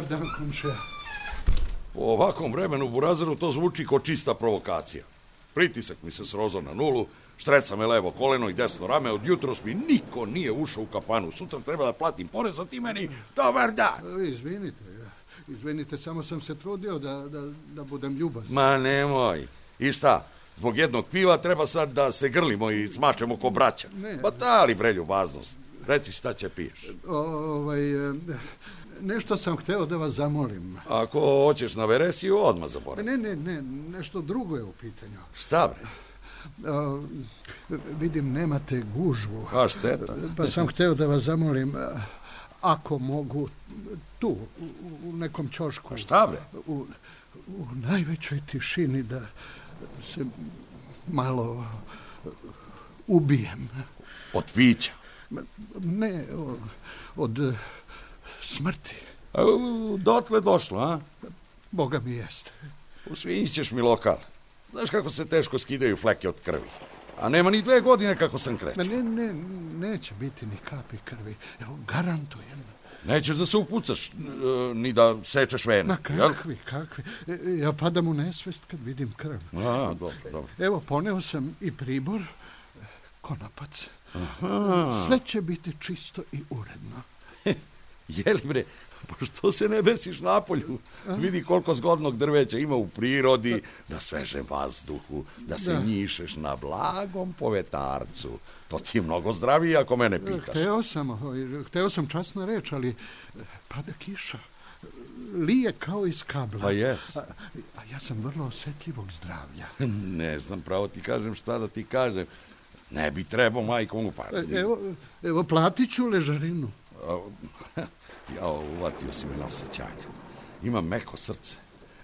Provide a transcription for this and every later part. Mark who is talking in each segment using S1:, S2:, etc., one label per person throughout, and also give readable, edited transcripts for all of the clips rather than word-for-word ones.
S1: dan, komšija.
S2: Po ovakvom vremenu u Burazeru to zvuči kao čista provokacija. Pritisak mi se srozao na nulu, štreca me levo koleno i desno rame, od jutros mi niko nije ušao u kafanu. Sutra treba da platim porez, a ti meni dobar dan.
S1: Izvinite, samo sam se trudio da budem ljubazan.
S2: Ma nemoj. I šta? Zbog jednog piva treba sad da se grlimo i smačemo ko braća. Pa da li bre ljubaznost? Reci šta će piješ.
S1: Nešto sam hteo da vas zamolim.
S2: Ako hoćeš na veresiju, odmah zaboravi.
S1: Ne, nešto drugo je u pitanju.
S2: Šta bre?
S1: Vidim, nemate gužvu.
S2: A šteta.
S1: Pa sam hteo da vas zamolim, ako mogu, tu, u nekom ćošku.
S2: A šta bre?
S1: U najvećoj tišini da se malo ubijem.
S2: Od pića?
S1: Ne, od smrti.
S2: Dotle došlo, a?
S1: Boga mi jeste.
S2: Usvinjit ćeš mi lokal. Znaš kako se teško skidaju fleke od krvi. A nema ni 2 godine kako sam krećao.
S1: Neće biti ni kapi krvi. Evo, garantujem.
S2: Nećeš da se upucaš, ni da sečeš vene.
S1: Ma kakvi. Ja padam u nesvest kad vidim krv.
S2: A, dobro.
S1: Evo, poneo sam i pribor, konopac. Aha. Sve će biti čisto i uredno.
S2: Jeli bre, pa što se ne besiš napolju? Vidi koliko zgodnog drveća ima u prirodi, na svežem vazduhu, da se njišeš na blagom povetarcu. To ti je mnogo zdravije ako mene pitaš.
S1: Hteo sam časno reč, ali pada kiša. Lije kao iz kabla.
S2: Pa jes.
S1: A ja sam vrlo osetljivog zdravlja.
S2: Ne znam, pravo ti kažem šta da ti kažem. Ne bi trebao majkom upati.
S1: Evo, platit ću ležarinu.
S2: Uvatio si me na osjećanje. Imam meko srce.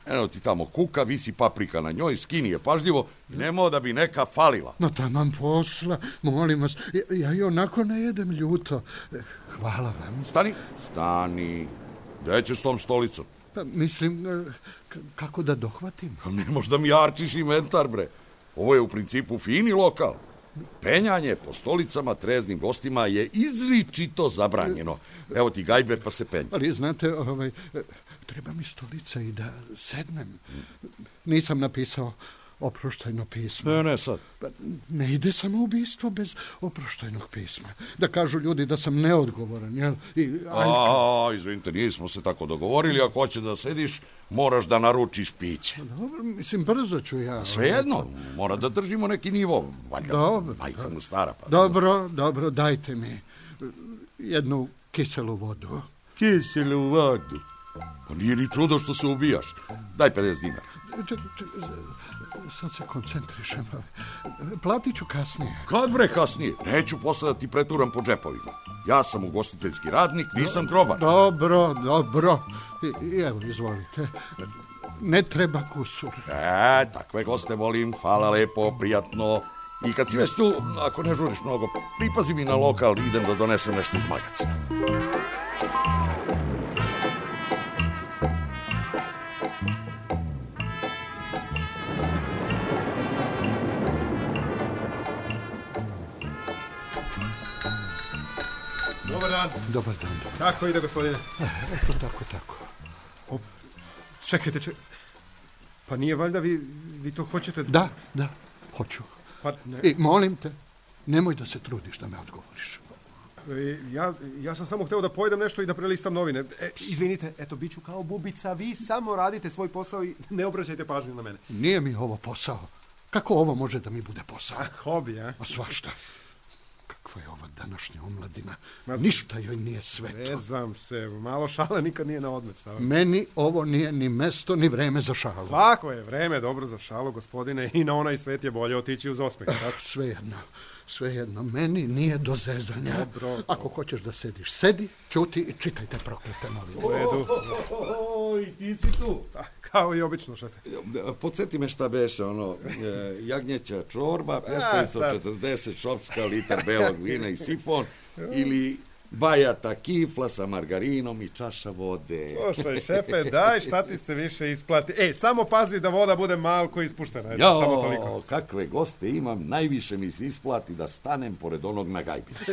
S2: Eno ti tamo kuka, visi paprika na njoj, skini je pažljivo i nemao da bi neka falila.
S1: No taman posla, molim vas, ja i onako ne jedem ljuto. Hvala vam.
S2: Stani. Gde ćeš s tom stolicom?
S1: Pa mislim, kako da dohvatim?
S2: Ne možda mi jarčiš inventar, bre. Ovo je u principu fini lokal. Penjanje po stolicama treznim gostima je izričito zabranjeno. Evo ti gajber pa se penja.
S1: Ali znate, treba mi stolica i da sednem. Nisam napisao oproštajno pismo.
S2: Ne, sad.
S1: Ne ide samoubistvo bez oproštajnog pisma. Da kažu ljudi da sam neodgovoran, jel?
S2: Izvinite, nismo se tako dogovorili. Ako hoće da sediš, moraš da naručiš piće.
S1: Dobro, mislim, brzo ću ja.
S2: Svejedno, mora da držimo neki nivo. Valjda, majka mu stara. Pa.
S1: Dobro, dajte mi jednu kiselu vodu.
S2: Kiselu vodu? Pa nije ni čudo što se ubijaš. Daj 50 dinara.
S1: Sad se koncentrišem. Platit ću kasnije.
S2: Kad bre kasnije? Neću posle da ti preturam po džepovima. Ja sam ugostiteljski radnik, nisam grobar.
S1: Dobro. I evo, izvolite. Ne treba kusur.
S2: Takve goste volim. Hvala lepo, prijatno. I kad si već tu, ako ne žuriš mnogo, pripazi mi na lokal, idem da donesem nešto iz magacina.
S1: Dobar dan.
S3: Kako ide, gospodine?
S1: Eto, tako.
S3: Čekajte. Pa nije valjda vi to hoćete?
S1: Da, hoću.
S3: Pa ne.
S1: I molim te, nemoj da se trudiš da me odgovoriš.
S3: Ja sam samo hteo da pojedem nešto i da prelistam novine. Izvinite, eto, bit ću kao bubica. Vi samo radite svoj posao i ne obraćajte pažnju na mene.
S1: Nije mi ovo posao. Kako ovo može da mi bude posao?
S3: Hobi, a?
S1: A svašta. Kakva je ova današnja omladina? Ništa joj nije sveto.
S3: Ne znam se, malo šale nikad nije na odmet.
S1: Meni ovo nije ni mesto, ni vreme za šalu.
S3: Svako je vreme dobro za šalu, gospodine, i na onaj svet je bolje otići uz osmeh.
S1: Svejedno, meni nije do zezanja.
S3: Dobro.
S1: Ako hoćeš da sediš, sedi, ćuti i čitajte proklete novine.
S3: U redu.
S2: I ti si tu.
S3: Kao i obično, šefe.
S2: Podsjeti me šta beše, jagnjeća čorba, pljeskavica 40, šopska, litar belog vina i sifon, ili bajata kifla sa margarinom i čaša vode.
S3: Slušaj, šefe, daj, šta ti se više isplati. Samo pazi da voda bude malko ispuštena. Samo toliko.
S2: Kakve goste imam, najviše mi se isplati da stanem pored onog na gajbici.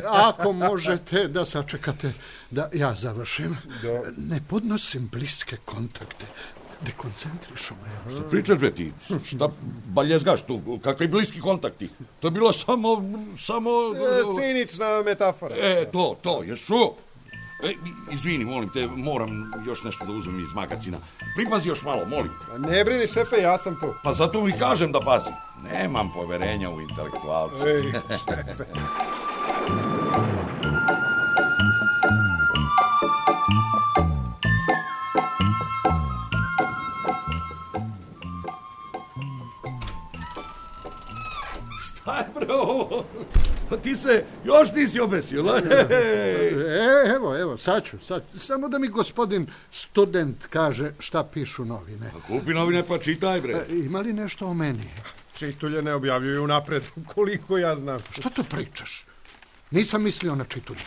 S1: Ako možete da sačekate da ja završim. Ne podnosim bliske kontakte. Dekoncentrišu me.
S2: Šta pričaš, bre, ti? Šta baljezgaš tu? Kakvi bliski kontakti? To je bilo samo...
S3: Cinična metafora.
S2: To, jesu. Izvini, molim te, moram još nešto da uzmem iz magacina. Pripazi još malo, molim.
S3: Ne brini, šefe, ja sam tu.
S2: Pa zato mi kažem da pazi. Nemam poverenja u intelektualce.
S3: Šefe.
S2: Šta je, bre, ovo? Ti se još nisi obesio,
S1: Evo, sad ću. Samo da mi gospodin student kaže šta pišu novine.
S2: Kupi novine pa čitaj, bre.
S1: Ima li nešto o meni?
S3: Čitulje ne objavljuju napred, koliko ja znam.
S1: Što to pričaš? Nisam mislio na čitulje.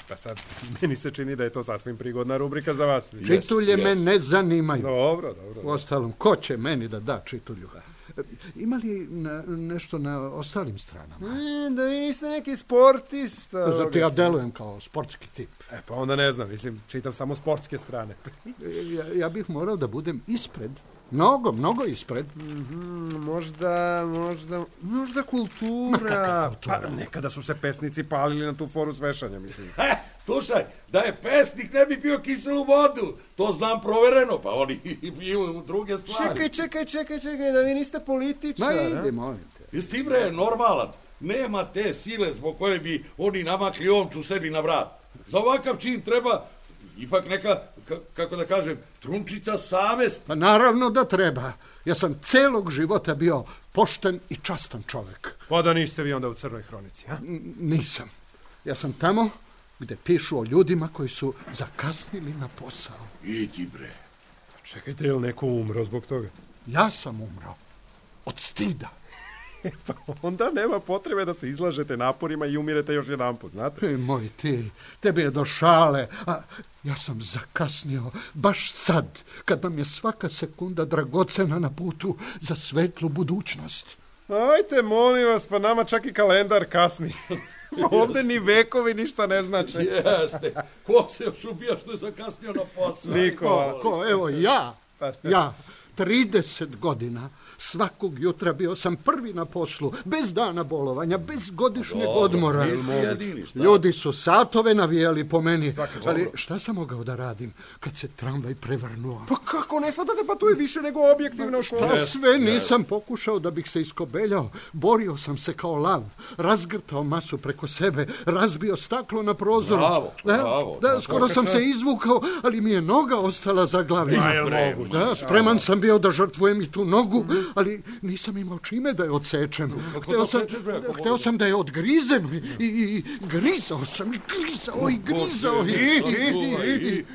S3: Pa sad, meni se čini da je to sasvim prigodna rubrika za vas.
S1: Čitulje me ne zanimaju.
S3: Dobro.
S1: Uostalom, ko će meni da čitulju? Ima li nešto na ostalim stranama?
S3: Da vi niste neki sportista.
S1: Zato ja delujem kao sportski tip.
S3: Pa onda ne znam, čitam samo sportske strane.
S1: Ja bih morao da budem ispred. Mnogo ispred.
S3: Možda kultura. Pa nekada su se pesnici palili na tu foru svešanja, mislim.
S2: Slušaj, da je pesnik ne bi bio kiselu vodu. To znam provereno, pa oni piju u druge stvari.
S3: Čekaj, da vi niste političar.
S1: Ma idi, molim te.
S2: Jesi ti, bre, normalan? Nema te sile zbog koje bi oni namakli omču sebi na vrat. Za ovakav čin treba ipak neka, kako da kažem, trunčica savesti.
S1: Pa naravno da treba. Ja sam celog života bio pošten i častan čovek.
S3: Pa da niste vi onda u Crnoj hronici, a?
S1: Nisam. Ja sam tamo gde pišu o ljudima koji su zakasnili na posao.
S2: Idi, bre.
S3: Čekajte, je li neko umro zbog toga?
S1: Ja sam umro. Od stida.
S3: Pa onda nema potrebe da se izlažete naporima i umirete još jedan put, znate?
S1: Moj ti, tebi je do šale, a ja sam zakasnio baš sad, kad nam je svaka sekunda dragocena na putu za svetlu budućnost.
S3: Ajte, molim vas, pa nama čak i kalendar kasni. Ovde ni vekovi ništa ne znače.
S2: Jeste. Ko se još ubija što je zakasnio na posao?
S3: Niko.
S1: Ko? Evo, ja. 30 godina. Svakog jutra bio sam prvi na poslu, bez dana bolovanja, bez godišnjeg odmora. Ljudi su satove navijali po meni, ali šta sam mogao da radim kad se tramvaj prevrnuo?
S3: Pa kako ne shvatate, pa tu je više nego objektivno.
S1: Šta sve nisam pokušao da bih se iskobeljao. Borio sam se kao lav, razgrtao masu preko sebe, razbio staklo na prozoru.
S2: Bravo.
S1: Skoro sam se izvukao, ali mi je noga ostala za glavi. Spreman sam bio da žrtvujem i tu nogu, ali nisam imao čime da je odsečem. Hteo sam da je odgrizem i grizao sam i grizao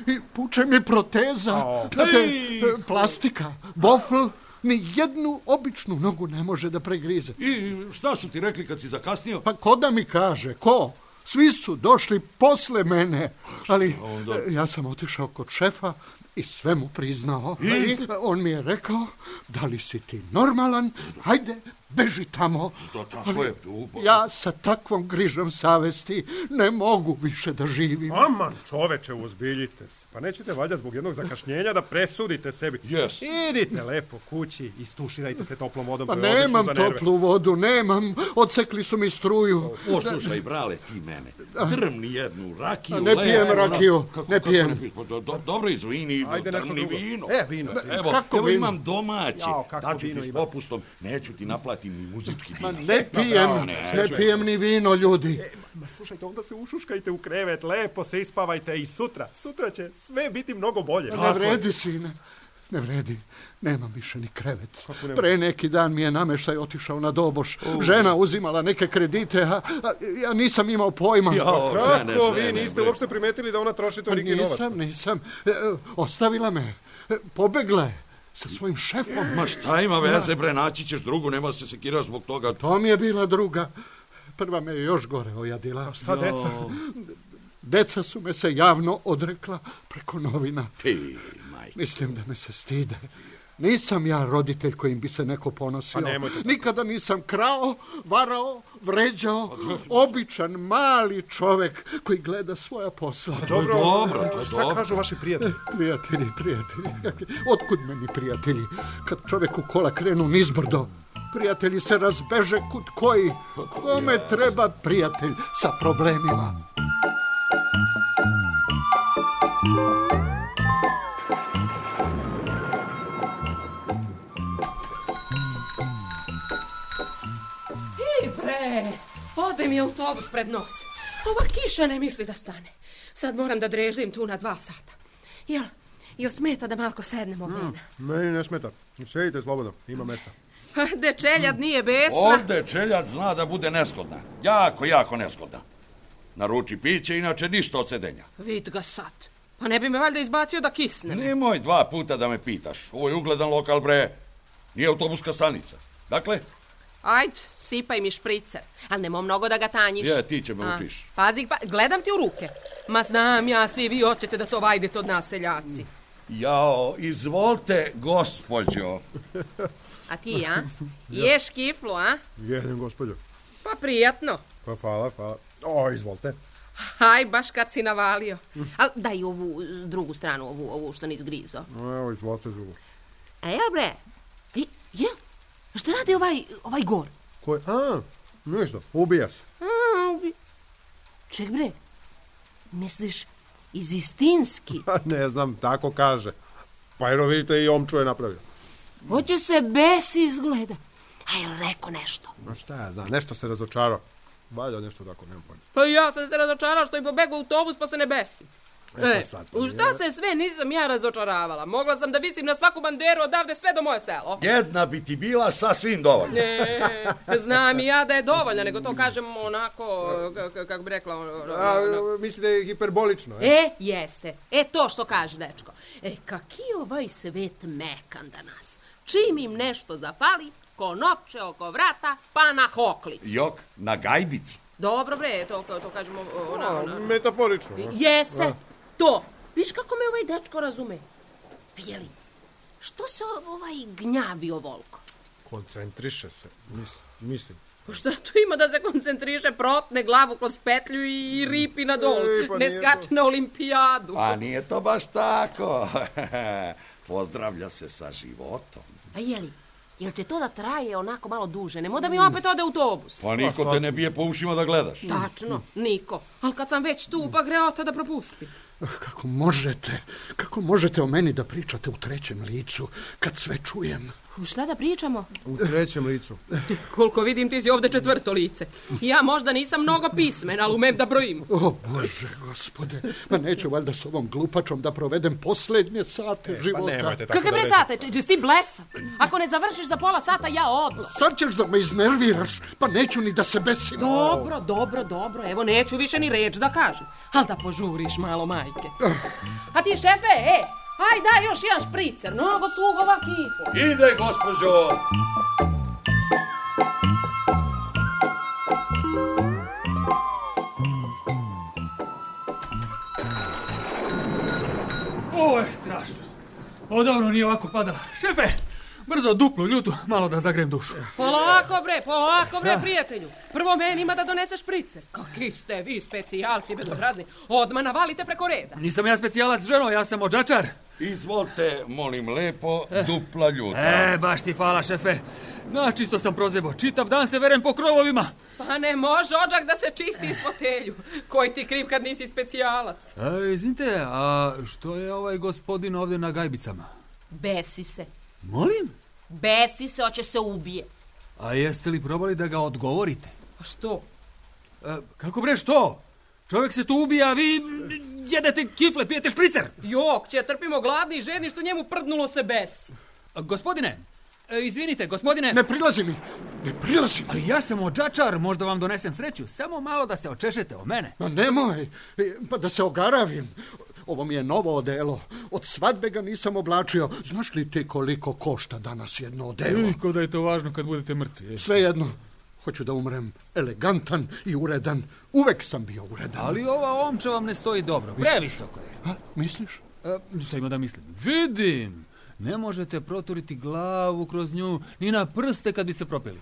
S1: i puče mi proteza. Plastika, bofl, ni jednu običnu nogu ne može da pregrize.
S2: I šta su ti rekli kad si zakasnio?
S1: Pa ko da mi kaže, ko? Svi su došli posle mene, ali ja sam otišao kod šefa i sve mu priznao. On mi je rekao, da li si ti normalan, hajde, beži tamo. Ja sa takvom grižom savesti ne mogu više da živim.
S3: Aman, čoveče, uzbiljite se. Pa nećete valjda zbog jednog zakašnjenja da presudite sebi. Idite lepo kući, istuširajte se toplom vodom.
S1: Pa nemam toplu vodu, nemam. Odsekli su mi struju.
S2: Poslušaj, brale, ti mene. Drmni jednu rakiju.
S1: Ne pijem rakiju, ne pijem.
S2: Dobro, izvini, drmni vino.
S3: Vino.
S2: Evo imam domaće. Daću ti s popustom. Neću ti naplatim ni muzički dinar.
S1: Ne pijem ni vino, ljudi.
S3: Slušajte, onda se ušuškajte u krevet, lepo se ispavajte i sutra će sve biti mnogo bolje.
S1: Ne vredi, sine. Ne vredi. Nemam više ni krevet. Pre neki dan mi je nameštaj otišao na doboš. Žena uzimala neke kredite, a ja nisam imao pojma.
S3: Kako vi niste uopšte primetili da ona troši toliki novac?
S1: Nisam. Ostavila me. Pobegla je sa svojim šefom.
S2: Ma šta ima veze, bre, naći ćeš drugu, nema se sekiraš zbog toga.
S1: To mi je bila druga. Prva me je još gore ojadila.
S3: Šta, deca?
S1: Deca su me se javno odrekla preko novina.
S2: Majke.
S1: Mislim da me se stide. Nisam ja roditelj kojim bi se neko ponosio. Nikada nisam krao, varao, vređao. Običan, mali čovek koji gleda svoja posla.
S2: Dobro.
S3: Šta kažu vaši prijatelji?
S1: Prijatelji. Otkud meni prijatelji? Kad čovek u kola krenu nizbrdo, prijatelji se razbeže kud koji. Kome treba prijatelj sa problemima?
S4: Ode mi autobus pred nos. Ova kiša ne misli da stane. Sad moram da drežim tu na 2 sata. Jel smeta da malko sednemo ovdje?
S3: Meni ne smeta. Sedite slobodno, ima mesta.
S4: Dečeljad nije besna.
S2: Ovdje čeljad zna da bude nesgodna. Jako nesgodna. Naruči piće, inače ništa od sedenja.
S4: Vid ga sad. Pa ne bi me valjda izbacio da kisnem.
S2: Nemoj 2 puta da me pitaš. Ovo je ugledan lokal, bre. Nije autobuska stanica. Dakle?
S4: Ajd, sipaj mi špricer. Ali nemoj mnogo da ga tanjiš.
S2: Ti će me učiš.
S4: Pazi, gledam ti u ruke. Ma znam ja, svi vi hoćete da se ovajdete od nas, seljaci.
S2: Jao, izvolite, gospođo.
S4: A ti, a? Ješ kiflu, a?
S3: Jedem, gospođo.
S4: Pa prijatno.
S3: Pa hvala. Izvolite.
S4: Aj, baš kad si navalio. Ali daj ovu drugu stranu, ovu što nisi grizo.
S3: Evo, izvolite drugu.
S4: A jel bre? Jel? Šta radi ovaj gor?
S3: Koji? Ništa, ubija se.
S4: Ček bre, misliš iz istinski?
S3: Ne znam, tako kaže. Pa jer vidite i omču je napravio.
S4: Hoće se besi izgleda. A jel rekao nešto?
S3: Ma šta ja znam, nešto se razočarao. Valjda nešto tako, nemam pojma.
S4: Pa ja sam se razočarao što im pobegao autobus pa se ne besim. U šta se sve nisam ja razočaravala? Mogla sam da visim na svaku banderu odavde sve do moje selo.
S2: Jedna bi ti bila sasvim dovoljna.
S4: Ne, znam i ja da je dovoljna, nego to kažem onako, kako bi rekla...
S3: Misli da je hiperbolično,
S4: Jeste. To što kaže, dečko. Kaki ovaj svet mekan danas. Čim im nešto zapali, ko nopče oko vrata, pa na hoklicu.
S2: Jok, na gajbicu.
S4: Dobro bre, to kažemo...
S3: Metaforično.
S4: Jeste, to. Viš kako me ovaj dečko razume? Jeli, što se ovaj gnjavi ovoliko?
S3: Koncentriše se, mislim.
S4: Šta tu ima da se koncentriše, protne glavu kroz petlju i ripi na dol, ne skače na olimpijadu.
S2: Pa nije to baš tako. Pozdravlja se sa životom.
S4: A jel će to da traje onako malo duže? Nemo da mi opet ode autobus.
S2: Pa niko te ne bije po ušima da gledaš.
S4: Tačno, niko. Ali kad sam već tu, pa greota da propusti.
S1: Kako možete o meni da pričate u 3. licu, kad sve čujem?
S4: Šta da pričamo?
S3: U 3. licu.
S4: Koliko vidim, ti si ovde 4. lice. Ja možda nisam mnogo pismen, ali umem da brojim.
S1: O Bože, gospode, pa neću valjda s ovom glupačom da provedem posljednje sate života.
S4: Kakve bre sate? Češ ti blesa? Ako ne završiš za pola sata, ja odmah.
S1: Sad ćeš da me iznerviraš, pa neću ni da se besim.
S4: Dobro, evo neću više ni reč da kažem. Ali da požuriš malo, majke. A ti, šefe, aj daj još jedan špricer, mnogo sugova kifu.
S2: Ide, gospođo.
S5: Ovo je strašno. Odavno nije ovako pada. Šefe, brzo duplu ljutu, malo da zagrem dušu.
S4: Polako bre, prijatelju. Prvo meni ima da donese špricer. Kakvi ste vi specijalci bezobrazni. Odmah navalite preko reda.
S5: Nisam ja specijalac, ženo, ja sam odžačar.
S2: Izvolite, molim lepo, dupla ljuta.
S5: Baš ti hvala, šefe. Načisto sam prozebo, čitav dan se verem po krovovima.
S4: Pa ne može odžak da se čisti iz fotelju. Koji ti kriv kad nisi specijalac?
S5: Izvinite, a što je ovaj gospodin ovdje na gajbicama?
S4: Besi se.
S5: Molim?
S4: Besi se, hoće se ubije.
S5: A jeste li probali da ga odgovorite?
S4: A što?
S5: Kako bre, što? Čovjek se tu ubija, a vi jedete kifle, pijete špricer.
S4: Jok, će trpimo gladni i žedni što njemu prdnulo se besi.
S5: Gospodine, izvinite, gospodine.
S1: Ne prilazi mi.
S5: Ali ja sam odžačar, možda vam donesem sreću. Samo malo da se očešete o mene.
S1: Pa nemoj, pa da se ogaravim. Ovo mi je novo odelo. Od svadbe ga nisam oblačio. Znaš li ti koliko košta danas jedno odelo?
S5: Ko da je to važno kad budete mrtvi?
S1: Svejedno. Hoću da umrem elegantan i uredan. Uvek sam bio uredan.
S5: Ali ova omča vam ne stoji dobro. Previsoko je.
S1: Misliš?
S5: Šta ima da mislim? Vidim! Ne možete proturiti glavu kroz nju, ni na prste kad bi se propili.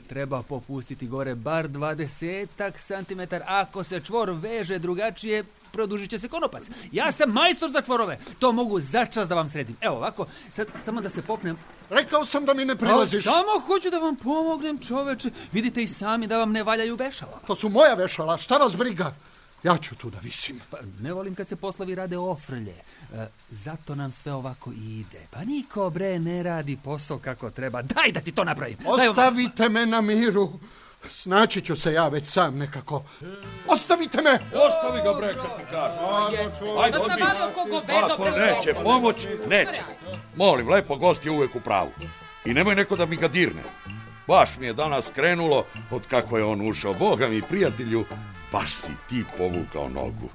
S5: Treba popustiti gore bar 20 centimetara. Ako se čvor veže drugačije, produžit će se konopac. Ja sam majstor za čvorove. To mogu začas da vam sredim. Evo ovako, sad samo da se popnem.
S1: Rekao sam da mi ne prilaziš.
S5: Samo hoću da vam pomognem, čoveče. Vidite i sami da vam ne valjaju vešala.
S1: To su moja vešala, šta vas briga? Ja ću tu da visim.
S5: Pa, ne volim kad se poslovi rade ofrlje. Zato nam sve ovako ide. Pa niko, bre, ne radi posao kako treba. Daj da ti to napravim.
S1: Ostavite me na miru. Snaći ću se ja već sam nekako. Ostavite me!
S2: Ostavi ga, bre, kad ti kažem. Ajde, odbi. Ako neće pomoć, neće. Molim, lepo, gost je uvek u pravu. I nemoj neko da mi ga dirne. Baš mi je danas krenulo od kako je on ušao. Boga mi, prijatelju, baš si ti povukao nogu.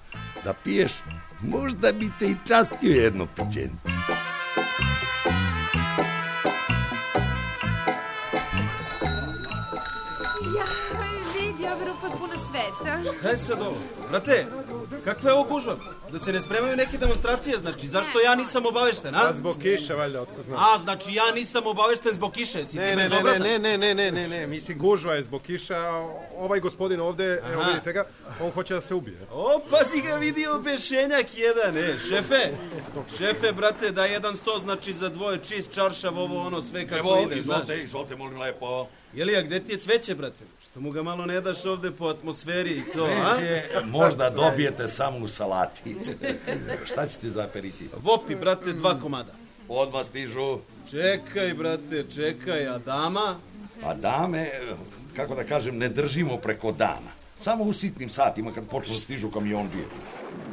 S2: Da piješ, možda bi te i častio jedno pićence.
S4: Ove rupe puno sveta.
S6: Šta je sad ovo? Brate, kakva je ovo gužva? Da se ne spremaju neke demonstracije, znači, zašto ja nisam obavešten, a?
S3: Zbog kiše, valjda, otko znam.
S6: A, znači, ja nisam obavešten zbog kiše, si ti bezobrazan?
S3: Ne, mislim, gužva je zbog kiša, ovaj gospodin ovde, evo vidite ga, on hoće da se ubije.
S6: O, pazi ga, vidi obešenjak jedan, šefe, brate, da 100, znači, za dvoje čist čaršav, ovo, ono, sve kako ide, znaš.
S2: Izvolite, molim lepo.
S6: Jelija, gde ti je cveće, brate? Što mu ga malo ne daš ovde po atmosferi i to, a?
S2: Cveće možda dobijete samo u salati. Šta ćete za aperitiv?
S6: Vopi, brate, 2 komada.
S2: Odmah stižu.
S6: Čekaj, brate, čekaj, a dama?
S2: A dame, kako da kažem, ne držimo preko dana. Samo u sitnim satima kad počnu stižu kamionđije.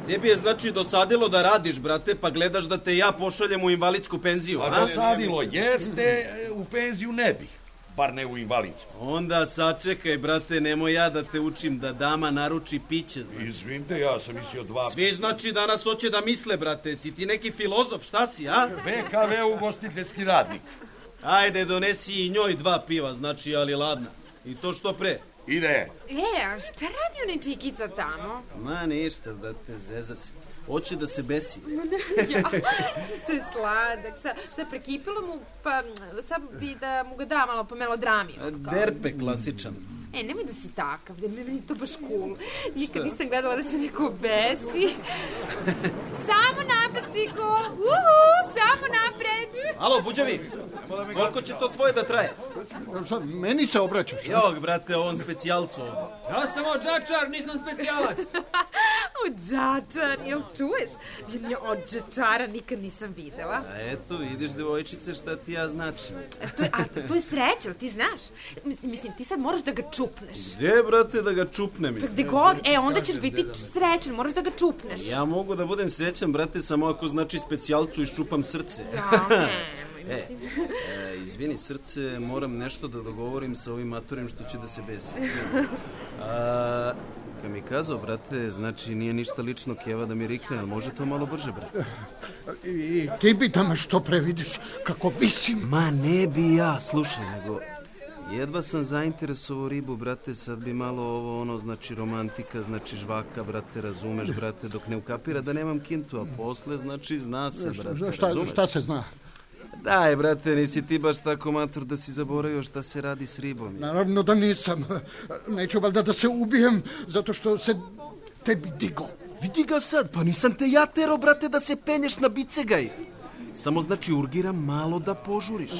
S6: Tebi je znači dosadilo da radiš, brate, pa gledaš da te ja pošaljem u invalidsku penziju, a?
S2: A dosadilo jeste, u penziju ne bih. Bar ne u invalidsku.
S6: Onda sačekaj, brate, nemoj ja da te učim da dama naruči piće, znači.
S2: Izvinite, ja sam mislio 2...
S6: Svi znači danas hoće da misle, brate, si ti neki filozof, šta si, a?
S2: BKV ugostiteljski radnik.
S6: Ajde, donesi i njoj 2 piva, znači, ali ladna. I to što pre.
S2: Ide.
S4: A šta radi onaj čikica tamo?
S6: Ma ništa, brate, zeza si. Hoće da se besi.
S4: Ja, što je sladak. Šta je prekipilo mu, pa sad bi da mu ga da malo po melodrami.
S6: Derpe klasičan.
S4: Nemoj da si takav, meni je to baš cool. Nikad nisam gledala da se neko besi. Samo napred, čiko! Samo napred!
S6: Alo, buđavi! Koliko će to tvoje da traje?
S1: Meni se obraćaš?
S6: Jok, brate, on specijalcu ovdje.
S5: Ja sam odžačar, nisam specijalac.
S4: Odžačar, jel čuješ? Ja odžačara nikad nisam videla.
S6: A eto, vidiš, devojčice, šta ti ja značim.
S4: To je sreća, ti znaš? Mislim, ti sad moraš da ga čupneš.
S6: Gdje, brate, da ga čupnem?
S4: Pa gde god, onda ćeš biti srećan, moraš da ga čupneš.
S6: Ja mogu da budem srećan, brate, samo ako znači specijalcu iščupam srce.
S4: Ja, mislim.
S6: Izvini, srce, moram nešto da dogovorim sa ovim matorim što će da se besi. Kad mi kazao, brate, znači nije ništa lično, Keva da mi rikne, ali može to malo brže, brate?
S1: I ti bi da me što pre vidiš, kako visim.
S6: Ma ne bi ja, slušaj, nego... Jedva sam zainteresovao ribu, brate, sad bi malo ovo, ono, znači romantika, znači žvaka, brate, razumeš, brate, dok ne ukapira da nemam kintu, a posle, znači, zna se, brate, razumeš?
S1: Šta se zna?
S6: Daj, brate, nisi ti baš tako mator da si zaboravio šta se radi s ribom.
S1: Naravno da nisam. Neću valjda da se ubijem, zato što se tebi digo.
S6: Vidi ga sad, pa nisam te ja tero, brate, da se penješ na bicegaj. Samo znači urgiram malo da požuriš.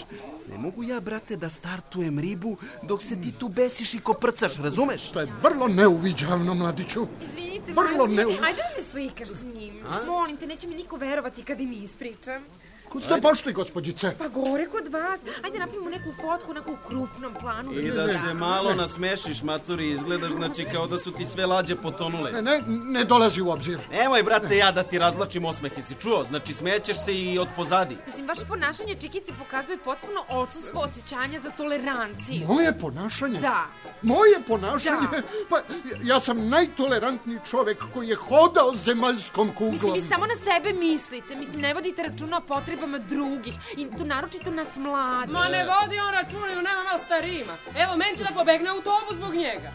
S6: Ne mogu ja, brate, da startujem ribu dok se ti tu besiš i koprcaš, razumeš?
S1: To je vrlo neuviđavno, mladiću.
S4: Izvinite,
S1: vrlo
S4: ajde da me slikaš s njim. Molim te, neće mi niko verovati kad im ispričam.
S1: Kud ste pošli, gospođice?
S4: Pa gore kod vas. Ajde napravimo neku fotku, neku u krupnom planu.
S6: I da se malo nasmešiš, maturi, izgledaš, znači kao da su ti sve lađe potonule.
S1: Ne dolazi u obzir.
S6: Nemoj, brate, ja da ti razlačim osmehe, si čuo? Znači, smećeš se i od pozadi.
S4: Mislim, vaše ponašanje, Čikice, pokazuje potpuno odsustvo osjećanja za toleranciju.
S1: Moje ponašanje?
S4: Da.
S1: Moje ponašanje? Da. Pa, ja sam najtolerantniji čovek koji je hodao zemaljskom kuglom.
S4: Mislim, vi samo na sebe mislite. Mislim, ne vodite računa o potrebi potrebama drugih. I to naročito nas mlade.
S7: Ma ne vodi on računaju, nema malo starijima. Evo, men će da pobegne autobus zbog njega.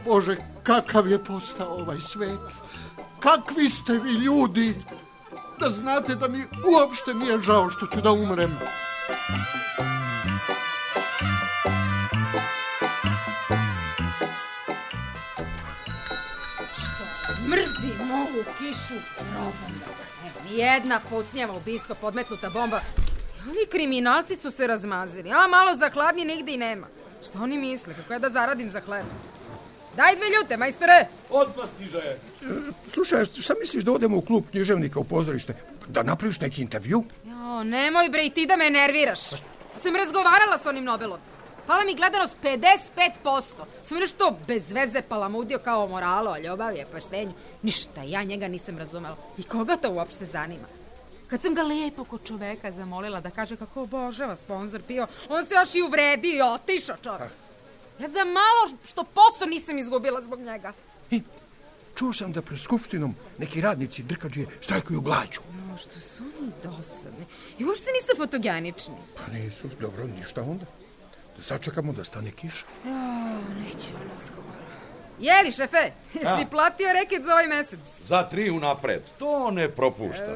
S1: Bože, kakav je postao ovaj svet. Kakvi ste vi ljudi. Da znate da mi uopšte nije žao što ću da umrem.
S8: Mrzim ovu kišu. Grozan. Nijedna pucnjava ubistvo, podmetnuta bomba. Ovi kriminalci su se razmazili. A malo za hladnije nigde i nema. Šta oni misle? Kako ja da zaradim za hleb? Daj 2 ljute, majstore!
S2: Odmah stiže.
S9: Slušaj, šta misliš da odemo u klub književnika u pozorište? Da napraviš neki intervju?
S8: Jo, nemoj bre i ti da me nerviraš. Sam razgovarala s onim Nobelovcem. Pala mi gledanost 55%. Sam nešto bez veze palamudio kao o moralu, o ljubavi, o poštenju. Ništa, ja njega nisam razumela. I koga to uopšte zanima? Kad sam ga lepo kod čoveka zamolila da kaže kako obožava sponzor PIO, on se još i uvredio i otišao čovek. Ja za malo što posao nisam izgubila zbog njega.
S9: Čuo sam da pred skupštinom neki radnici drkađije štrajkuju glađu.
S8: No, što su oni dosadni. I uopšte nisu fotogenični.
S9: Pa nisu, dobro, ništa onda. Da sačekamo da stane kiša.
S8: Neće ono skoro. Jeli, šefe, jesi platio reket za ovaj mesec?
S2: Za 3 unapred, to ne propuštam.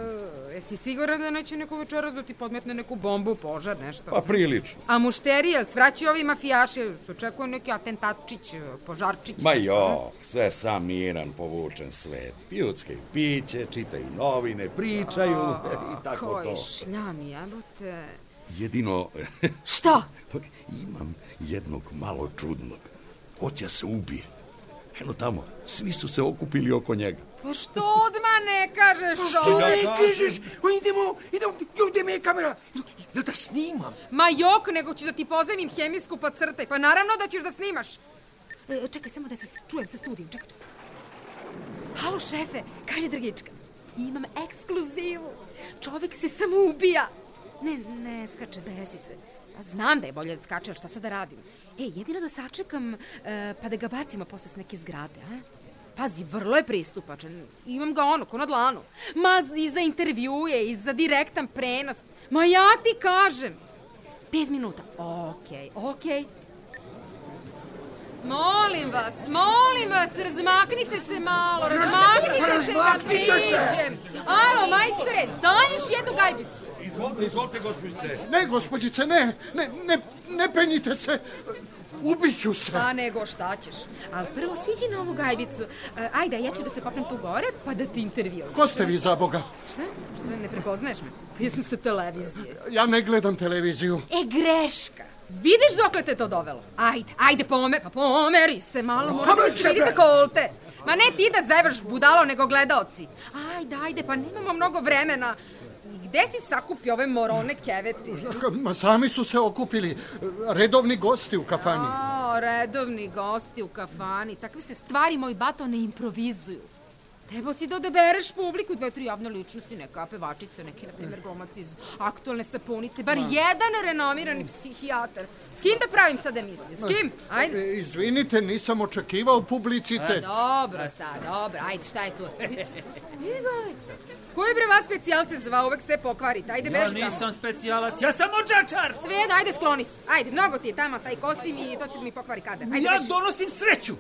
S8: Jesi siguran da neće neko večeras da ti podmetne neku bombu, požar, nešto?
S2: Pa prilično.
S8: A mušterija, svraćaju ovi mafijaši, se očekuje neki atentatčić, požarčić.
S2: Ma jo, sve sam miran, povučen svet. Piju piće, čitaju novine, pričaju i tako to.
S8: Koji šljam, jebote.
S2: Jedino...
S8: Šta?
S2: Imam jednog malo čudnog. Hoće se ubije. Eno tamo, svi su se okupili oko njega.
S8: Pa što odmah ne kažeš to?
S9: Što ne kažeš? Idemo, gdje mi je kamera? Jel da snimam?
S8: Ma jok, nego ću da ti pozajmim hemijsku pa crtaj. Pa naravno da ćeš da snimaš. Čekaj, samo da se čujem sa studijom, čekaj. Halo, šefe, kaže Drgička. Imam ekskluzivu. Čovek se samo ubija. Ne skače, besi se. Pa znam da je bolje da skače, ali šta sad da radim? Jedino da sačekam, pa da ga bacimo posle s neke zgrade, a? Pazi, vrlo je pristupačan. Imam ga ko na dlanu. Ma i za intervjuje, i za direktan prenos. Ma ja ti kažem. 5 minuta. Okej. Molim vas, razmaknite se malo, razmaknite se da priđem. Alo, majstore, daj još jednu gajbicu.
S2: Izvolite, gospođice.
S1: Ne, gospođice, ne penjite se. Ubiću se.
S8: Pa nego, šta ćeš? Ali prvo siđi na ovu gajbicu. Ajde, ja ću da se popnem tu gore, pa da ti intervjujem.
S1: Ko ste vi, za Boga?
S8: Šta? Ne prepoznaješ me? Pa ja sam sa televizije.
S1: Ja ne gledam televiziju.
S8: Greška. Vidiš dokle te to dovelo? Ajde, pomeri se malo, moram da se vidite kolte. Ma ne ti da zevaš budalo, nego gledaoci. Ajde, pa nemamo mnogo vremena. Gde si sakupio ove morone keveti?
S1: Ma sami su se okupili. Redovni gosti u kafani.
S8: Redovni gosti u kafani. Takve se stvari, moj bato, ne improvizuju. Trebao si da odebereš publiku, 2-3 javne ličnosti, neka pevačica, neki, na primjer, glumac iz Aktualne sapunice, bar jedan renomirani psihijatar. S kim da pravim sad emisiju? S kim? Ajde.
S1: Izvinite, nisam očekivao publicitet.
S8: Dobro, ajde, šta je tu? Ko je bre vas specijalce zvao, uvek sve pokvarite, ajde beži tamo.
S5: Ja nisam specijalac, ja sam odžačar.
S8: Sve jedno, ajde skloni se, ajde, mnogo ti je tamo taj kostim i to će da mi pokvari kader.
S5: Ja donosim sreću.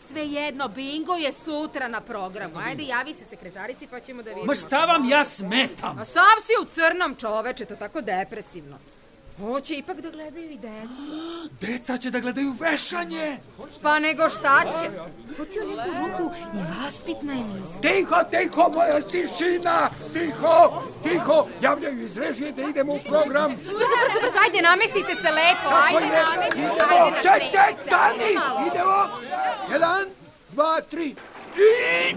S8: Sve jedno, bingo je sutra na programu. Ajde, javi se sekretarici pa ćemo da vidimo.
S5: Ma šta vam ja smetam?
S8: A sav si u crnom, čoveče, to tako depresivno. Hoće ipak da gledaju i deca.
S9: Deca će da gledaju vešanje.
S8: Pa nego šta će? Hoti u neku ruku i vaspitna emisija.
S9: Tiho, moja tišina. Tiho. Javljaju iz režije da idemo u program.
S8: Brzo, ajde, namestite se lepo. Ajde, namestite.
S9: Idemo, stani. Idemo. 1, 2, 3.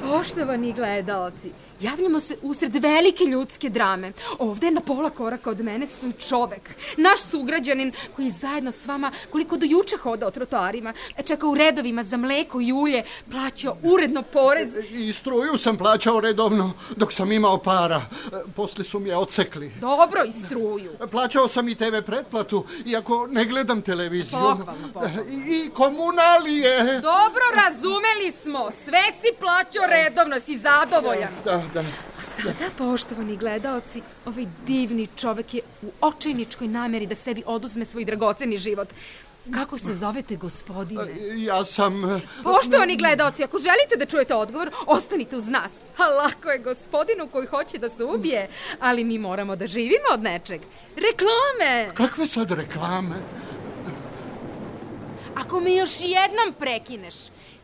S8: Poštovani gledaoci, javljamo se usred velike ljudske drame. Ovde na pola koraka od mene stoji čovek, naš sugrađanin koji zajedno s vama, koliko do juče hodao trotoarima, čekao u redovima za mleko i ulje, plaćao uredno porez.
S1: I struju sam plaćao redovno dok sam imao para. Posle su mi je odsekli.
S8: Dobro, i struju.
S1: Plaćao sam i TV pretplatu, iako ne gledam televiziju.
S8: Pohvalno.
S1: I komunalije.
S8: Dobro, razumeli smo. Sve si plaćao redovno, si zadovoljan.
S1: Da.
S8: A sada, poštovani gledaoci, ovaj divni čovek je u očajničkoj nameri da sebi oduzme svoj dragoceni život. Kako se zovete, gospodine?
S1: Ja sam...
S8: Poštovani gledaoci, ako želite da čujete odgovor, ostanite uz nas. A lako je gospodinu koji hoće da se ubije, ali mi moramo da živimo od nečeg. Reklame!
S1: Kakve sad reklame?
S8: Ako me još jednom prekineš,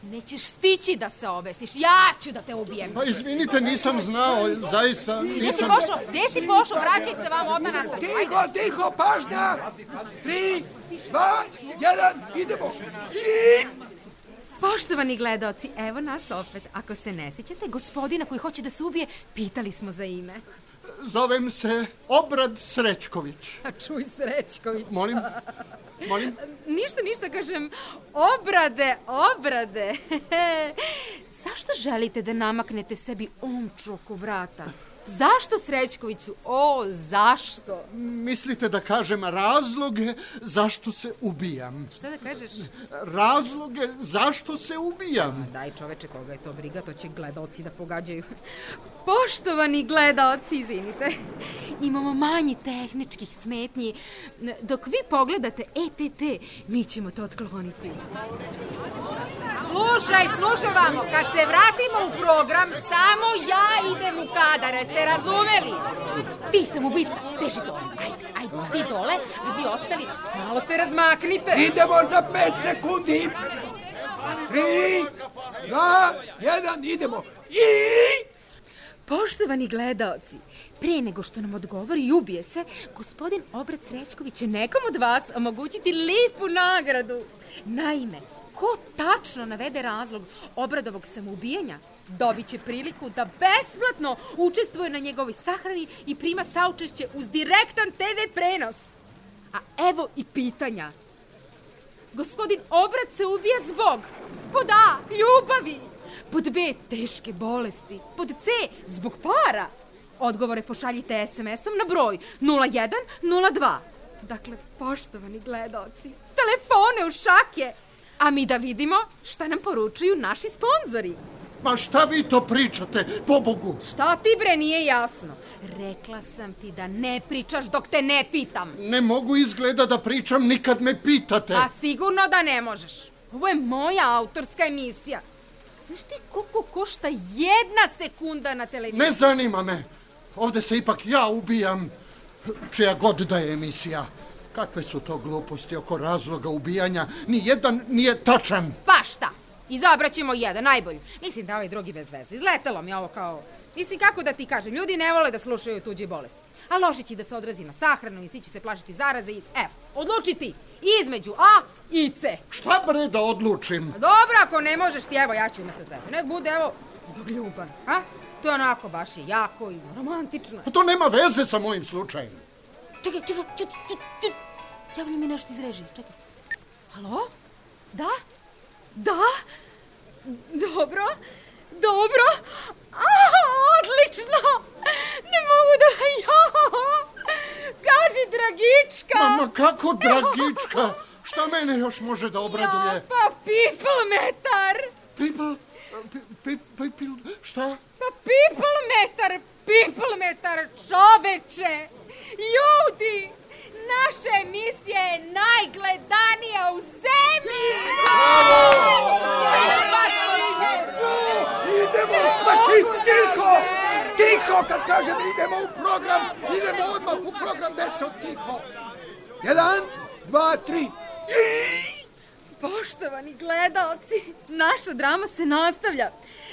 S8: nećeš stići da se obesiš. Ja ću da te ubijem.
S1: Pa izvinite, nisam znao, zaista nisam...
S8: Gdje si pošao? Vraćaj se vam, odmah nastavi.
S9: Tiho, pažnja! 3, 2, 1, idemo!
S8: Poštovani gledaoci, evo nas opet. Ako se ne sjećate, gospodina koji hoće da se ubije, pitali smo za ime.
S1: Zovem se Obrad Srećković.
S8: A čuj, Srećković.
S1: Molim?
S8: Ništa, kažem, obrade. Zašto želite da namaknete sebi omču oko vrata? Zašto, Srećkoviću? Zašto?
S1: Mislite da kažem razloge zašto se ubijam?
S8: Šta da kažeš?
S1: Razloge zašto se ubijam.
S8: Daj čoveče, koga je to briga, to će gledaoci da pogađaju. Poštovani gledaoci, izvinite, imamo manji tehničkih smetnji. Dok vi pogledate EPP, mi ćemo to otkloniti. Slušaj vamo, kad se vratimo u program, samo ja idem u kadar, jeste razumeli? Ti sam ubica, beži dole, ajde, ti dole, a vi ostali, malo se razmaknite.
S9: Idemo za 5 sekundi. 3, 2, 1, idemo.
S8: Poštovani gledaoci, pre nego što nam odgovori i ubije se, gospodin Obrad Srećković će nekom od vas omogućiti lijepu nagradu. Naime, ko tačno navede razlog Obradovog samoubijanja, dobit će priliku da besplatno učestvuje na njegovoj sahrani i prima saučešće uz direktan TV prenos. A evo i pitanja. Gospodin Obrad se ubija zbog pod A, ljubavi, pod B, teške bolesti, pod C, zbog para. Odgovore pošaljite SMS-om na broj 0102. Dakle, poštovani gledaoci, telefone u šake. A mi da vidimo šta nam poručuju naši sponzori.
S1: Ma šta vi to pričate, pobogu?
S8: Šta ti bre nije jasno? Rekla sam ti da ne pričaš dok te ne pitam.
S1: Ne mogu izgleda da pričam, nikad me pitate.
S8: A sigurno da ne možeš. Ovo je moja autorska emisija. Znaš ti koliko košta 1 sekunda na televiziji?
S1: Ne zanima me. Ovde se ipak ja ubijam, čija god da je emisija. Kakve su to gluposti oko razloga ubijanja? Nijedan nije tačan.
S8: Pa šta? Izabraćemo jedan, najbolji. Mislim da ovaj drugi bez veze. Izletelo mi ovo kao... Mislim, kako da ti kažem, ljudi ne vole da slušaju tuđe bolesti. A loše će da se odrazi na sahranu i svi će se plašiti zaraze i... Evo, odluči ti. Između A i C.
S1: Šta bre da odlučim?
S8: Dobro, ako ne možeš ti, evo, ja ću umjesto tebe. Nek bude, evo, zbog ljubavi. A? To je onako baš je jako i romantično.
S1: A to nema veze sa mojim slučajem.
S8: Čekaj, javlja mi nešto iz režije, čekaj. Halo? Da? Dobro. Odlično! Ne mogu da... Kaži, Dragička!
S1: Ma kako Dragička? Šta mene još može da obraduje?
S8: Pa pipelmetar!
S1: Šta?
S8: Pa pipelmetar, čoveče! Ljudi! Naša emisija je najgledanija u zemlji!
S9: Idemo! Tiho! Kad kažem idemo u program, idemo odmah u program, deco, tiho! 1, 2, 3...
S8: Poštovani gledaoci, naša drama se nastavlja.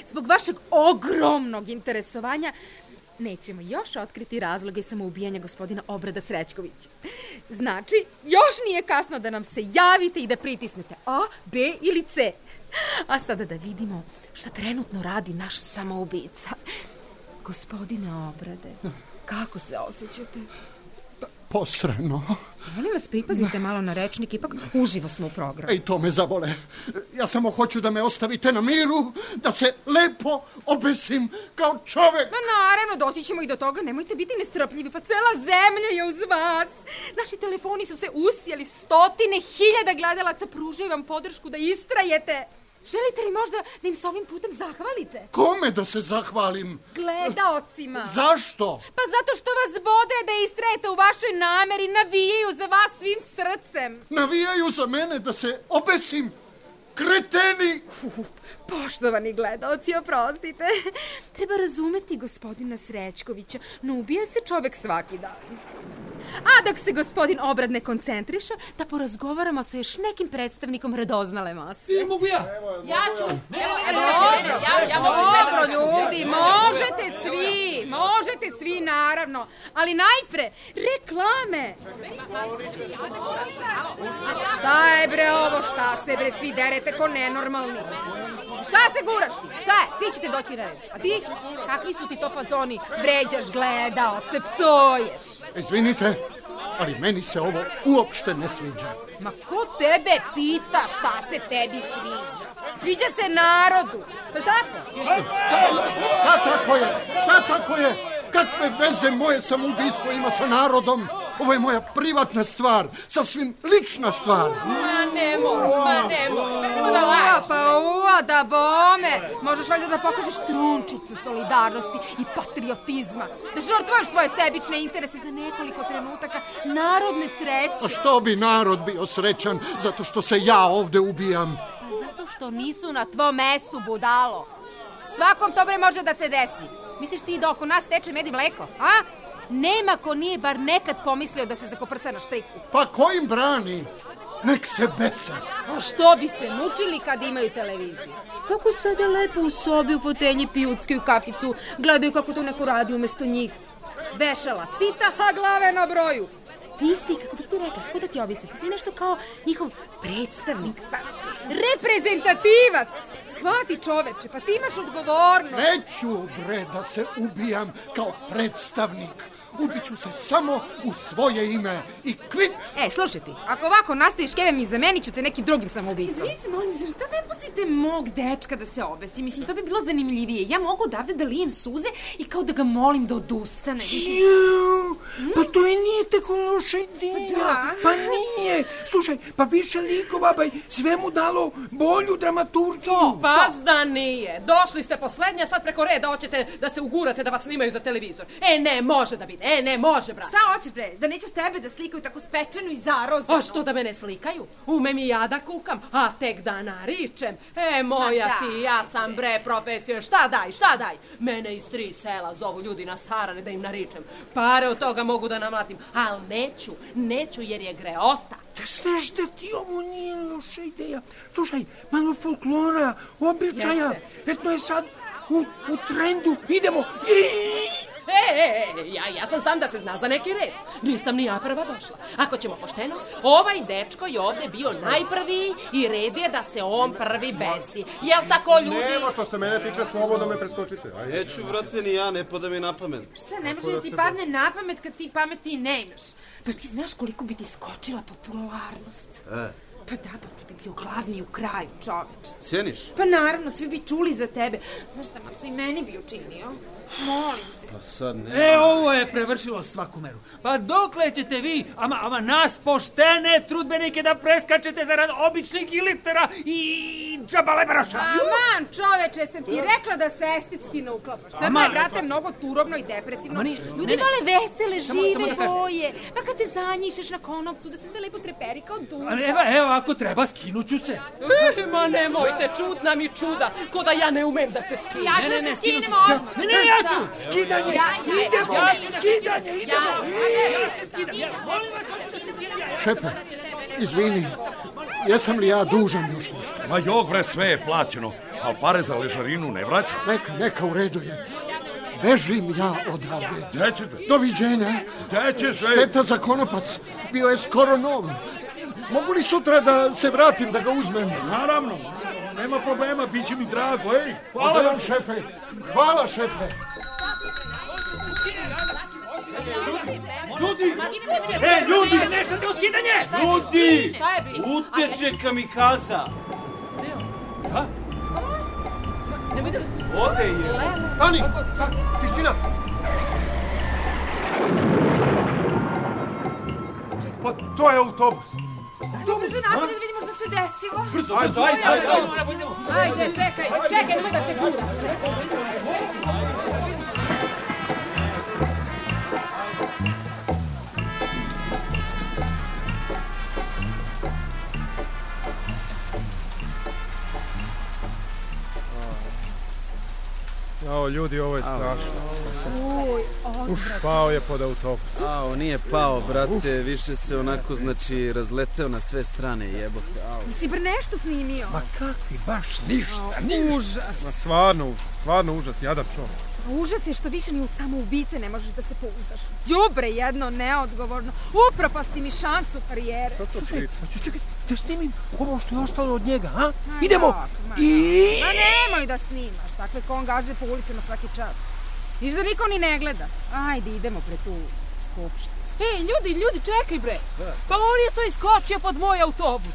S8: Zbog vašeg ogromnog interesovanja nećemo još otkriti razloge samoubijanja gospodina Obrada Srećkovića. Znači, još nije kasno da nam se javite i da pritisnete A, B ili C. A sada da vidimo šta trenutno radi naš samoubica. Gospodine Obrade, kako se osjećate?
S1: Posrano.
S8: Molim vas, pripazite malo na rečnik, ipak uživo smo u programu.
S1: Ej, to me zabole. Ja samo hoću da me ostavite na miru, da se lepo obesim kao čovek.
S8: Ma naravno, doći ćemo i do toga, nemojte biti nestrpljivi, pa cela zemlja je uz vas. Naši telefoni su se usijali, 100.000 gledalaca pružaju vam podršku da istrajete. Želite li možda da im s ovim putem zahvalite?
S1: Kome da se zahvalim?
S8: Gledaocima.
S1: Zašto?
S8: Pa zato što vas bode da istrajete u vašoj nameri, navijaju za vas svim srcem.
S1: Navijaju za mene da se obesim? Kreteni!
S8: Poštovani gledaoci, oprostite. Treba razumeti gospodina Srećkovića. Ne ubija se čovek svaki dan. A dok se gospodin Obrad ne koncentriše, da porazgovaramo sa još nekim predstavnikom radoznale mase.
S5: Mogu ja?
S7: Ja ću.
S8: Ja mogu sve da ljudi, možete svi, naravno. Ali najpre, reklame. Šta je bre ovo, šta se bre svi derete ko nenormalni? Šta se guraš? Šta je? Svi ćete doći na red. A ti? Kakvi su ti to fazoni? Vređaš gledaoce, psoješ.
S1: Izvinite, ali meni se ovo uopšte ne sviđa.
S8: Ma ko tebe pita šta se tebi sviđa? Sviđa se narodu. Je tako?
S1: Šta tako je? Kakve veze moje samoubistvo ima sa narodom? Ovo je moja privatna stvar, sasvim lična stvar.
S7: Ma nemo da lažeš.
S8: Pa da bome. Možeš valjda da pokažeš trunčicu solidarnosti i patriotizma. Da žrtvuješ svoje sebične interese za nekoliko trenutaka narodne sreće.
S1: A što bi narod bio srećan zato što se ja ovde ubijam?
S8: Pa zato što nisu na tvom mestu, budalo. Svakom to bre može da se desi. Misliš ti da oko nas teče med i mleko, a? Nema ko nije bar nekad pomislio da se zakoprca na štriku.
S1: Pa ko im brani? Nek se besa.
S8: A što bi se mučili kad imaju televiziju? Kako sada lepo u sobi, u fotelji, pijuckaju kaficu, gledaju kako to neko radi umesto njih. Vešala sita, a glave na broju. Ti si, kako bih ti rekla, kako da ti objasnim, ti si nešto kao njihov predstavnik, reprezentativac. Shvati čoveče, pa ti imaš odgovornost.
S1: Neću bre da se ubijam kao predstavnik. Ubiću se samo u svoje ime i kvit.
S8: Slušaj ti, ako ovako nastaviš kevem i zamenit ću te nekim drugim samoubicom.
S10: Izvinite, molim, zašto ne pustite mog dečka da se obesi? Mislim, to bi bilo zanimljivije. Ja mogu odavde da lijem suze i kao da ga molim da odustane.
S9: Pa to i nije tako loša ideja. Pa nije. Slušaj, pa više likova, sve mu dalo bolju dramaturgiju.
S7: Pas da nije. Došli ste poslednja, sad preko reda hoćete da se ugurate da vas snimaju za televizor. Ne, može da biti. Ne može, brate.
S10: Šta hoćeš, bre? Da nećeš tebe da slikaju tako spečenu i zarozano?
S7: A što da me ne slikaju? Umem i ja da kukam, a tek da naričem. Moja ti, ja sam bre profesija. Šta daj? Mene iz 3 sela zovu ljudi na sarane da im naričem. Pare od toga mogu da namlatim, ali neću jer je greota.
S9: Da znaš da ti ovo nije loša ideja. Slušaj, malo folklora, običaja. Etno je sad u trendu. Idemo.
S7: Ja sam sam da se zna za neki red. Nisam ni ja prva došla. Ako ćemo pošteno, ovaj dečko je ovde bio najprvi i red je da se on prvi besi. Jel tako, ljudi?
S3: Nema, što se mene tiče, slobodno me preskočite.
S6: Neću, brate, ni ja, ne pada mi na pamet.
S10: Šta, ne može da ti padne na pamet kad ti pameti ne imaš? Pa ti znaš koliko bi ti skočila popularnost? Pa da, pa ti bi bio glavni u kraju, čoveč.
S6: Cijeniš?
S10: Pa naravno, svi bi čuli za tebe. Znaš šta, Marco, i meni bi učinio. Molim te.
S6: Pa sad ne.
S5: Ovo je prevršilo svaku meru. Pa dokle ćete vi, ama nas poštene trudbenike da preskačete zarad običnih giliptera i džabalebaraša?
S8: Aman, čoveče, sam ti rekla da se estetski ne uklapaš. Crno je, brate, mnogo turobno i depresivno. Ljudi vole vesele, žive boje. Pa kad se zanjišeš na konopcu, da se sve lepo treperi kao duša.
S5: Evo, ako treba, skinuću se.
S7: Ma nemojte, čudna mi čuda, ko da ja ne umem da se skinem.
S10: Ja ću da se skinem odmah.
S5: Ne, ja ću.
S9: Skidanje, idemo.
S1: Šefe, izvini, jesam li ja dužan još nešto?
S2: Ma jok bre, sve je plaćeno, ali pare za ležarinu ne vraćam.
S1: Neka, u redu je. Bežim ja odavde.
S2: Gde ćeš?
S1: Doviđenja.
S2: Gde ćeš?
S1: Šteta za konopac, bio je skoro nov. Mogu li sutra da se vratim da ga uzmem?
S2: Naravno, nema problema, bit će mi drago, ej.
S1: Hvala vam, šefe. Hvala, šefe.
S6: Ljudi! Ljudi!
S5: Nešto ti uskidanje!
S6: Ljudi! Uteče kamikaza!
S5: Ha?
S6: Ode je!
S3: Stani! Tišina! Pa to je autobus!
S10: Dobro se napolje da vidimo što se desilo?
S2: Brzo, ajde.
S4: Ajde, čekaj, nemoj da se gura.
S3: Jao, ljudi, ovo je strašno. Pao je pod autobus.
S6: Nije pao, brate, više se onako, znači, razleteo na sve strane, jebote.
S8: Si bar nešto snimio?
S9: Ma kakvi, baš ništa.
S8: Užas.
S3: Ma stvarno užas, jadan čovjek.
S8: Užas je što više ni u samoubice ne možeš da se pouzdaš. Đubre jedno, neodgovorno. Upropasti mi šansu karijere.
S3: Što to priča?
S9: Čekaj, da snimim ovo što je ostalo od njega, a? Idemo! I...
S8: Ma nemoj da snimaš, takve kongaze po ulicama svaki čas. Viš da niko ni ne gleda. Ajde, idemo pre tu skupštinu.
S4: Ej, ljudi, čekaj bre. Pa on je to iskočio pod moj autobus.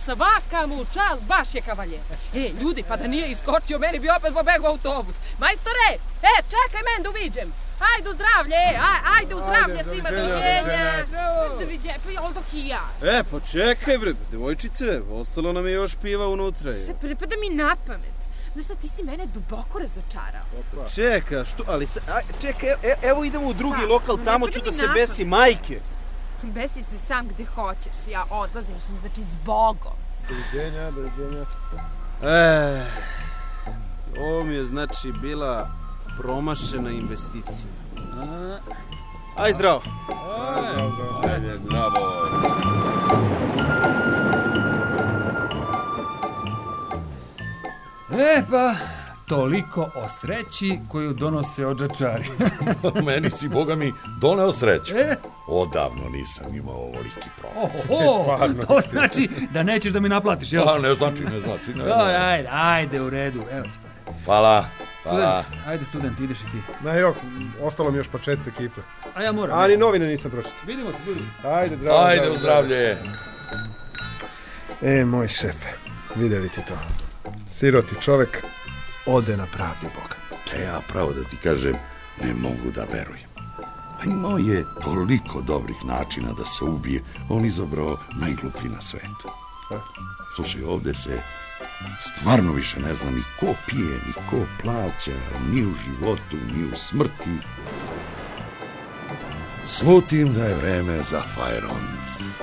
S4: Svaka mu čast, baš je kavaljer. Ljudi, pa da nije iskočio, meni bi opet pobegao autobus. Majstore, čekaj men da uviđem. Ajde u zdravlje, ajde u zdravlje svima, doviđenja.
S10: Doviđenja, pa jel dok i ja.
S6: Pa čekaj bre, devojčice, ostalo nam je još piva unutra.
S10: Se pripada mi na pamet. Znaš šta, ti si mene duboko razočarao.
S6: Čeka, što, ali čekaj, evo idemo u drugi lokal, tamo ću da se besi majke.
S10: Besi se sam gde hoćeš, ja odlazim, znači zbogom.
S3: Doviđenja.
S6: Ovo mi je znači bila promašena investicija. Aj zdravo.
S2: Ajde, zdravo.
S5: Pa, toliko o sreći koju donose odžačari.
S2: Meni si, Boga mi, doneo sreću. Odavno nisam imao ovoliki profit.
S5: To znači da nećeš da mi naplatiš, jel?
S2: Ne znači.
S5: Ajde, u redu, evo ti.
S2: Hvala.
S5: Student, ideš i ti.
S3: Ostalo mi još pačetce kifle.
S5: A ja moram.
S3: A ni novine nisam pročitao.
S5: Vidimo se, ljudi.
S3: Ajde,
S2: u zdravlje.
S3: Moj šefe, vidjeli ti to? Siroti čovek ode na pravdi Boga.
S2: Ja pravo da ti kažem, ne mogu da verujem. A imao je toliko dobrih načina da se ubije, on izabrao najgluplji na svetu. Slušaj, ovde se stvarno više ne zna ni ko pije, ni ko plaća, ni u životu, ni u smrti. Slutim da je vreme za Fajront.